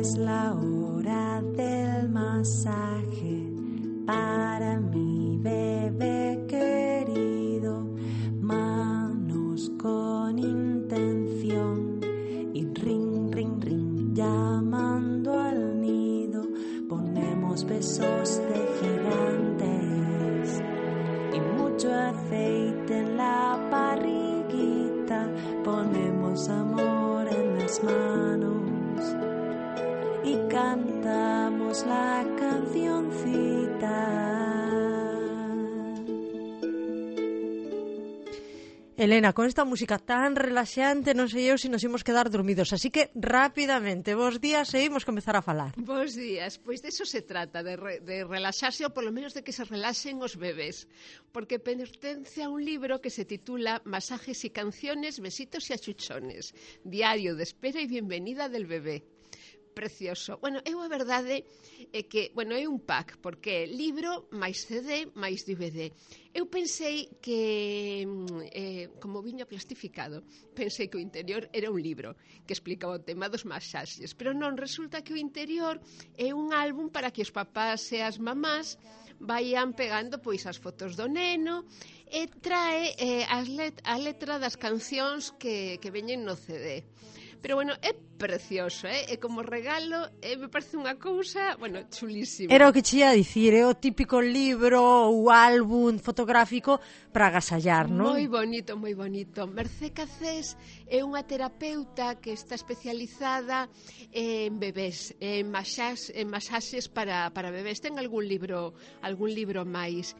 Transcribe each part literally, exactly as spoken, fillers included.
Es la hora del masaje para mi bebé querido. Manos con intención y ring, ring, ring, llamando al nido. Ponemos besos de gigantes y mucho aceite en la barriguita. Ponemos amor en las manos y cantamos la cancioncita. Elena, con esta música tan relaxante non sei eu se nos imos quedar dormidos, así que rapidamente, bos días e imos comezar a falar. Bos días, pois de eso se trata, de, re, de relaxarse ou polo menos de que se relaxen os bebés, porque pertence a un libro que se titula Masajes y canciones, besitos y achuchones, diario de espera y bienvenida del bebé. Precioso. Bueno, eu a verdade é que, bueno, é un pack, porque é libro, máis C D, máis D V D. Eu pensei que, eh, como viña plastificado, pensei que o interior era un libro que explicaba o tema dos masaxes, pero non, resulta que o interior é un álbum para que os papás e as mamás vayan pegando pois as fotos do neno e trae eh, as let a letra das cancións que, que veñen no C D. Pero, bueno, é precioso, eh? E como regalo, eh, me parece unha cousa, bueno, chulísima. Era o que che ia dicir, é o típico libro ou álbum fotográfico para agasallar, non? Moi bonito, moi bonito. Mercé Cacés é unha terapeuta que está especializada en bebés, en masaxes, en masaxes para, para bebés. Ten algún libro, algún libro máis.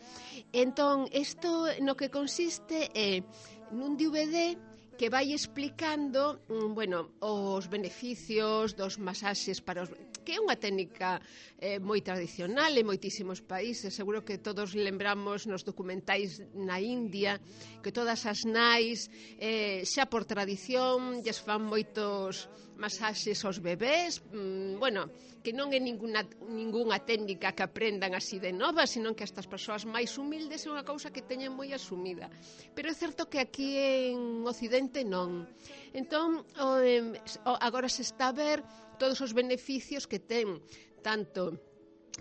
Entón, isto no que consiste é nun D V D que vai explicando, bueno, os beneficios dos masaxes para os... que é unha técnica eh, moi tradicional en moitísimos países. Seguro que todos lembramos nos documentais na India que todas as nais eh, xa por tradición lles fan moitos masaxes aos bebés, mm, bueno, que non é ninguna, ninguna técnica que aprendan así de nova, sino que estas persoas máis humildes é unha cousa que teñen moi asumida. Pero é certo que aquí en Occidente non. Entón, o, o, agora se está a ver todos os beneficios que ten tanto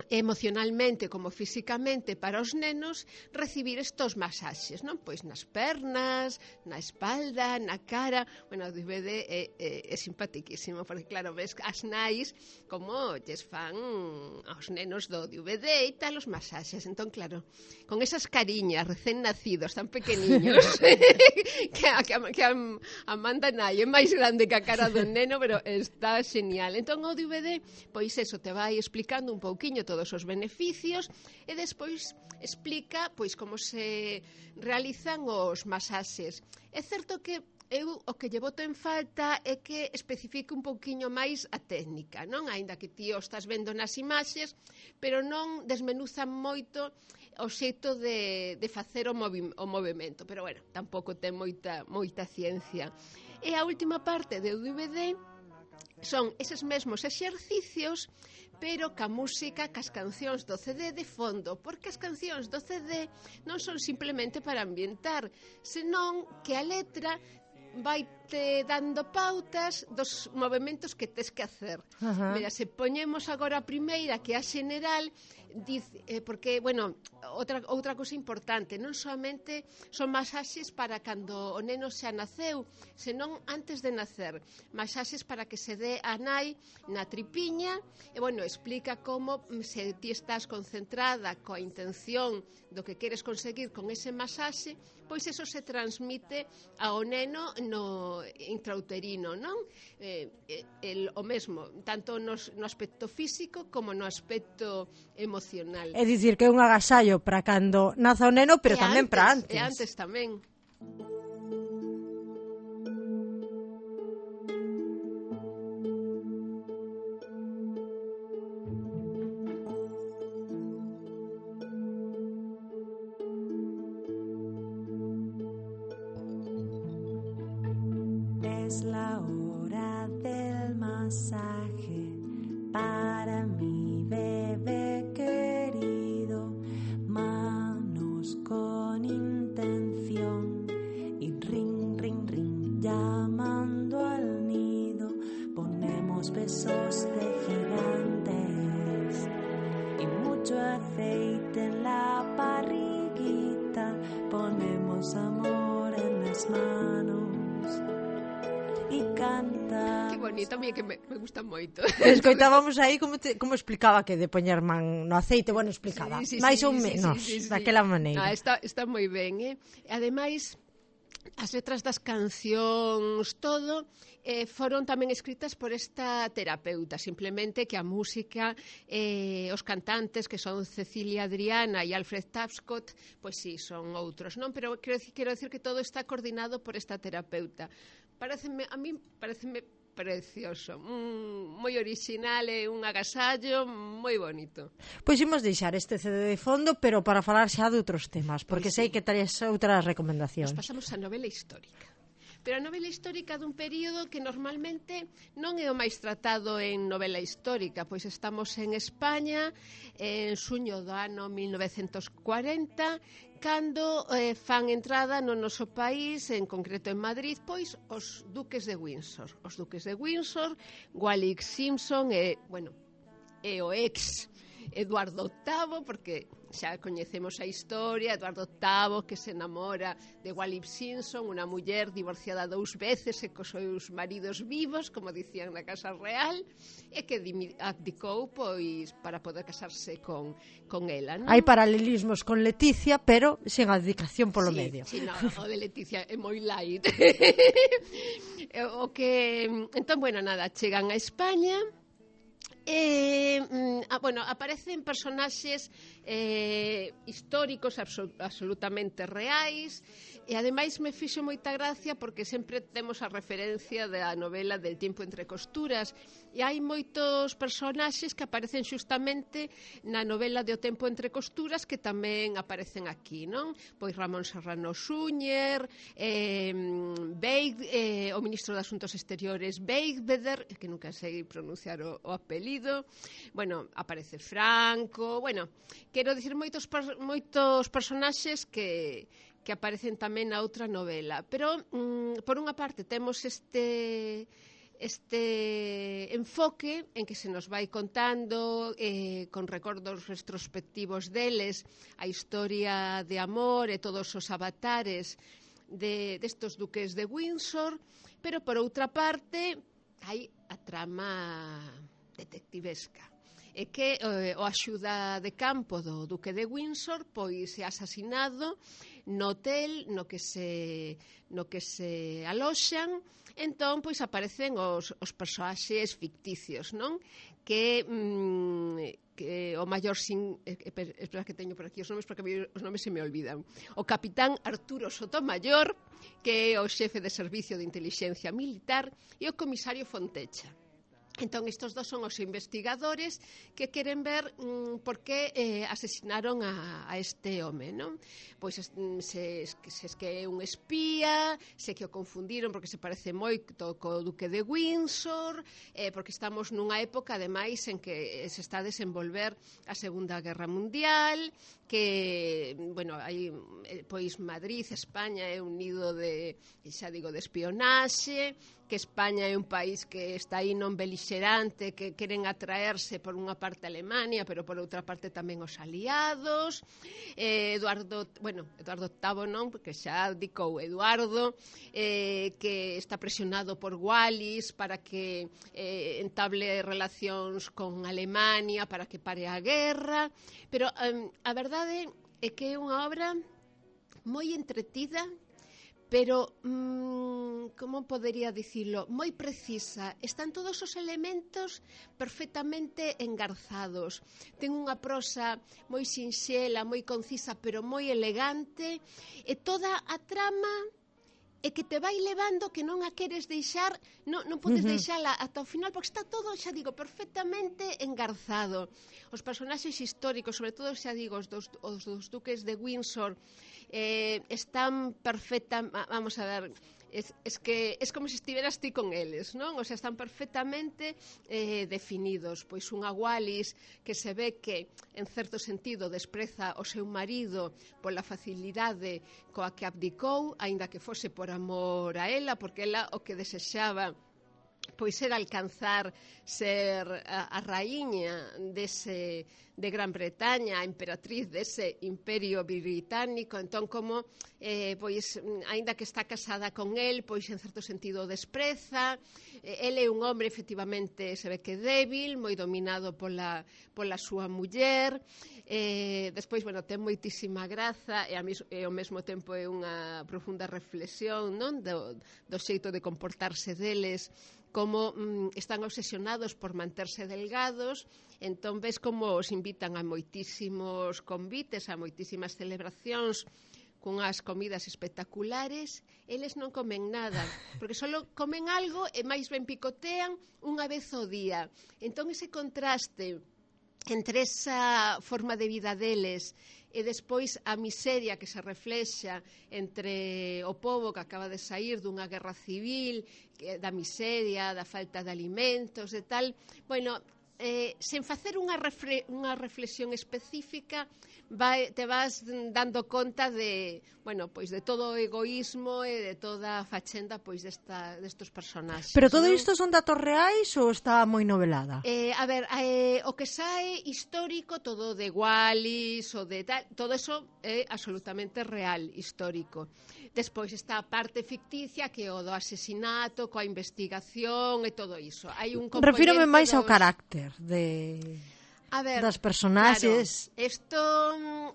emocionalmente como físicamente para os nenos recibir estos masaxes, non? Pois nas pernas, na espalda, na cara. Bueno, o D V D é, é, é simpatiquísimo, porque claro, ves as nais como lles fan aos nenos do D V D e tal os masaxes. Entón, claro, con esas cariñas recén nacidos tan pequeniños que, a, que, a, que a, a manda nai é máis grande que a cara do neno, pero está genial. Entón o D V D, pois eso, te vai explicando un pouquiño todos os beneficios e despois explica pois como se realizan os masaxes. É certo que eu o que lle boto en falta é que especifique un pouquiño máis a técnica, non? Aínda que ti o estás vendo nas imaxes, pero non desmenuzan moito o xeito de, de facer o, movi o movimento. Pero, bueno, tampouco ten moita, moita ciencia. E a última parte do D V D son eses mesmos exercicios, pero ca música, cas cancións do C D de fondo, porque as cancións do C D non son simplemente para ambientar, senón que a letra vai te dando pautas dos movimentos que tes que hacer. Uh-huh. Mira, se poñemos agora a primeira, que é a xeneral, dice, eh, porque, bueno, outra, outra cosa importante, non somente son masaxes para cando o neno xa naceu, senón antes de nacer, masaxes para que se dé a nai na tripiña, e, bueno, explica como se ti estás concentrada coa intención do que queres conseguir con ese masaxe, pois eso se transmite ao neno no intrauterino, non? Eh, el, o mesmo, tanto nos, no aspecto físico como no aspecto emocional. É dicir, que é un agasallo para cando naza o neno, pero e tamén antes, para antes. E antes tamén. Es la hora del masaje para mi bebé querido. Manos con intención y ring, ring, ring, llamando al nido. Ponemos damos besos de gigantes y mucho aceite en la barriguita, ponemos amor en las manos y canta. Que bonito, a mí que me, me gusta moito. Escoitábamos aí como, te, como explicaba que de poñer man no aceite, bueno, explicaba, sí, sí, máis sí, ou sí, menos, sí, sí, sí. daquela maneira. Ah, está, está moi ben, eh? Ademais, as letras das cancións, todo, eh, foron tamén escritas por esta terapeuta, simplemente que a música, eh, os cantantes, que son Cecilia Adriana e Alfred Tapscott, pois sí, son outros, non? Pero quero, quero decir que todo está coordinado por esta terapeuta. Pareceme, a mí pareceme precioso, mm, moi original e un agasallo moi bonito. Pois imos deixar este C D de fondo, pero para falar xa de outros temas, porque Pois sei sí. que traes outras recomendacións. Nos pasamos a novela histórica. Pero a novela histórica dun período que normalmente non é o máis tratado en novela histórica, pois estamos en España en xuño do ano mil novecentos cuarenta, cando eh, fan entrada no noso país, en concreto en Madrid, pois os duques de Windsor. Os duques de Windsor, Wallis Simpson e, bueno, e o ex Eduardo octavo, porque xa coñecemos a historia, Eduardo octavo que se enamora de Wallis Simpson, unha muller divorciada dous veces e cos seus maridos vivos, como dicían na Casa Real, e que abdicou pois para poder casarse con, con ela, non? Hai paralelismos con Leticia, pero sen abdicación polo sí, medio. Sí, no, o de Leticia é moi light. O que, entón, bueno, nada, chegan a España. Eh, ah, bueno, aparecen personaxes eh, históricos absol absolutamente reais e ademais me fixo moita gracia porque sempre temos a referencia da novela del tiempo entre costuras e hai moitos personaxes que aparecen xustamente na novela de O tempo entre costuras que tamén aparecen aquí, non? Pois Ramón Serrano Súñer, eh, Beig, eh, o ministro de Asuntos Exteriores Beigbeder, que nunca sei pronunciar o, o apelido, bueno, aparece Franco, bueno, quero dicir moitos, moitos personaxes que que aparecen tamén na outra novela, pero mm, por unha parte temos este este enfoque en que se nos vai contando eh, con recordos retrospectivos deles a historia de amor e todos os avatares de destos duques de Windsor, pero por outra parte hai a trama detectivesca. É que eh, o axuda de campo do duque de Windsor pois é asasinado no hotel no que se no que se aloxan. Entón, pois aparecen os, os personaxes ficticios, non? Que, mm, que o maior sin... Eh, espera que teño por aquí os nomes, porque os nomes se me olvidan. O capitán Arturo Sotomayor, que é o xefe de servicio de inteligencia militar, e o comisario Fontecha. Entón, estos dos son os investigadores que queren ver mm, por que eh, asesinaron a, a este home, non? Pois se, se es que é un espía, se que o confundiron porque se parece moito co duque de Windsor, eh, porque estamos nunha época, ademais, en que se está a desenvolver a Segunda Guerra Mundial, que, bueno, hai, pois Madrid, España é un nido de, xa digo, de espionaxe, que España é un país que está aí non belixerante, que queren atraerse por unha parte a Alemania, pero por outra parte tamén os aliados. Eh, Eduardo, bueno, Eduardo octavo non, porque xa dicou Eduardo, eh, que está presionado por Wallis para que eh, entable relacións con Alemania, para que pare a guerra, pero eh, a verdade é que é unha obra moi entretida, pero, mmm, como podería dicilo, moi precisa. Están todos os elementos perfectamente engarzados. Ten unha prosa moi sinxela, moi concisa, pero moi elegante, e toda a trama é que te vai levando que non a queres deixar, non, non podes uh-huh. deixala ata o final, porque está todo, xa digo, perfectamente engarzado. Os personaxes históricos, sobre todo, xa digo, os dos, os dos duques de Windsor, eh, están perfecta, vamos a ver, es, es que es como se estiveras ti con eles, non? O sea, están perfectamente eh, definidos. Pois unha Wallis que se ve que, en certo sentido, despreza o seu marido pola facilidade coa que abdicou, aínda que fose por amor a ela, porque ela o que desexaba pois era alcanzar ser a, a raíña dese de Gran Bretaña, a emperatriz dese imperio británico. Entón, como eh, pois, aínda que está casada con el, pois en certo sentido despreza. Eh, ele é un hombre efectivamente, se ve que débil, moi dominado pola, pola súa muller. Eh, despois, bueno, ten moitísima graza e, a mis, e ao mesmo tempo é unha profunda reflexión, non, do, do xeito de comportarse deles, como mm, están obsesionados por manterse delgados. Entón ves como os invitan a moitísimos convites, a moitísimas celebracións, cunhas comidas espectaculares. Eles non comen nada, porque só comen algo e máis ben picotean unha vez ao día. Entón ese contraste entre esa forma de vida deles e despois a miseria que se reflexa entre o pobo que acaba de sair dunha guerra civil, da miseria, da falta de alimentos e tal, bueno, eh, sen facer unha, refle unha reflexión específica, vai, te vas dando conta de, bueno, pois de todo o egoísmo e de toda a fachenda pois desta, destos personaxes. Pero todo non? isto son datos reais ou está moi novelada? Eh, a ver, eh, o que sae histórico, todo de Wallis o de tal, todo eso é absolutamente real, histórico. Despois está a parte ficticia, que é o do asesinato, coa investigación e todo iso. Hai un componente Refírome máis dos... ao carácter de... A ver, das personaxes. Claro, esto,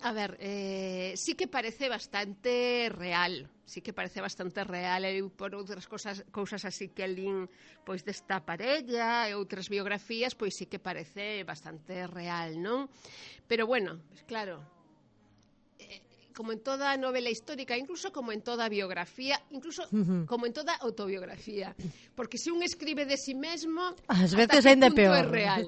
a ver, eh, sí que parece bastante real, sí que parece bastante real, e por outras cosas, cousas así que lín pois desta parella e outras biografías, pois sí que parece bastante real, non? Pero bueno, pues claro, eh, como en toda novela histórica, incluso como en toda biografía, incluso uh-huh. como en toda autobiografía, porque se un escribe de si mesmo, as veces ainda punto peor. É real.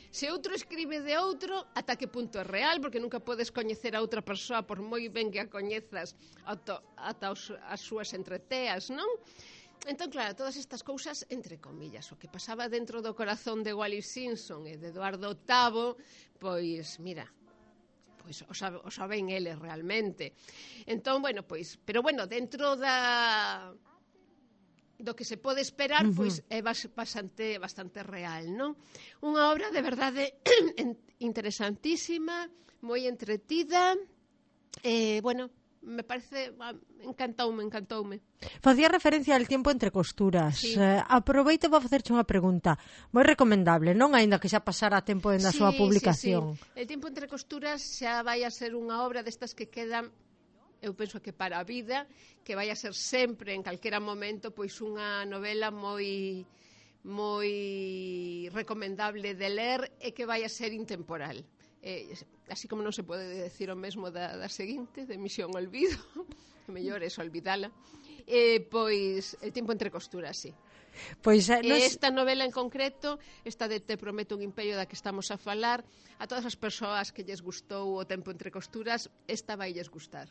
Se outro escribe de outro, ata que punto é real, porque nunca podes coñecer a outra persoa por moi ben que a coñezas ata, ata os, as súas entreteas, non? Entón, claro, todas estas cousas, entre comillas, o que pasaba dentro do corazón de Wallis Simpson e de Eduardo octavo, pois, mira, pois o, sabe, o saben eles realmente. Entón, bueno, pois, pero bueno, dentro da... do que se pode esperar, uh-huh. pois é bastante bastante real, non? Unha obra de verdade interesantísima, moi entretida, eh, bueno, me parece, encantoume, encantoume. Facía referencia ao Tiempo entre costuras. Sí. Eh, aproveito para facerche unha pregunta. Moi recomendable, non? Aínda que xa pasara tempo en a sí, súa publicación. Sí, sí. El Tiempo entre costuras xa vai a ser unha obra destas que quedan, eu penso que para a vida, que vai a ser sempre, en calquera momento, pois unha novela moi moi recomendable de ler e que vai a ser intemporal. Eh, así como non se pode decir o mesmo da, da seguinte, de Misión Olvido, que mellor é olvidala, eh, pois El Tiempo entre costuras, sí. Pois, eh, nos... Esta novela en concreto, esta de Te prometo un imperio da que estamos a falar, a todas as persoas que lles gustou o Tempo entre costuras, esta vai lles gustar.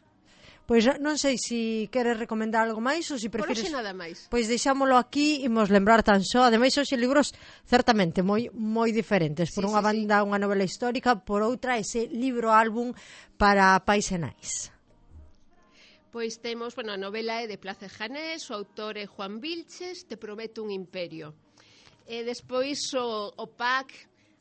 Pois non sei se queres recomendar algo máis ou se prefires... Por hoxe nada máis. Pois deixámolo aquí, imos lembrar tan só. Ademais, hoxe libros certamente moi moi diferentes. Por sí, unha sí, banda, sí. unha novela histórica, por outra, ese libro álbum para pais e nais. Pois temos, bueno, a novela é de Plácido Janés, o autor é Juan Vilches, Te prometo un imperio. E despois o, o pack,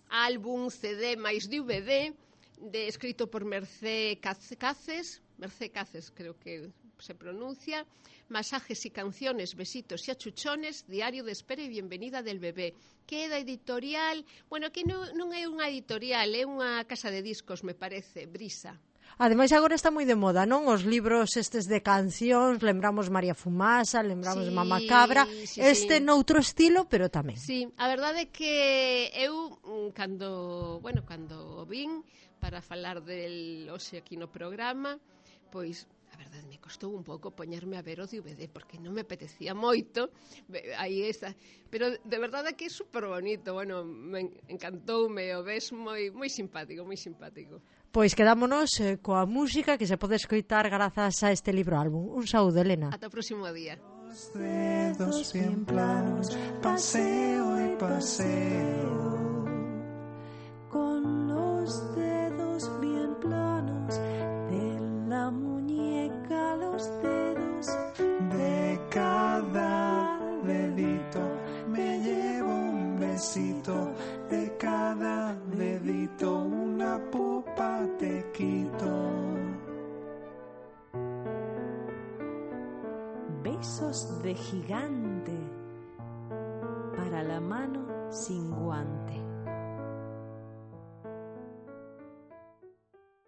álbum, C D máis D V D, de, escrito por Mercé Caces, Mercé Caces creo que se pronuncia, Masajes y canciones, besitos y achuchones, diario de espera y bienvenida del bebé, que é da editorial, bueno, que non, non é unha editorial, é unha casa de discos, me parece, Brisa. Ademais, agora está moi de moda, non? Os libros estes de cancións, lembramos María Fumasa, lembramos sí, Mama Cabra, sí, este sí. noutro estilo, pero tamén. Sí, a verdade é que eu, cando, bueno, cando vin para falar del hoxe aquí no programa, pois, a verdade, me costou un pouco poñerme a ver o D V D, porque non me apetecía moito, aí está, pero de verdade que é super bonito, bueno, me encantoume, o ves moi, moi simpático, moi simpático. Pois quedámonos eh, coa música que se pode escoitar grazas a este libro álbum. Un saúdo, Elena. Ata o próximo día. Los dedos bien planos, paseo y paseo. Con los dedos bien planos, de la muñeca los dedos de cada dedito me voz de gigante para la mano sin guante.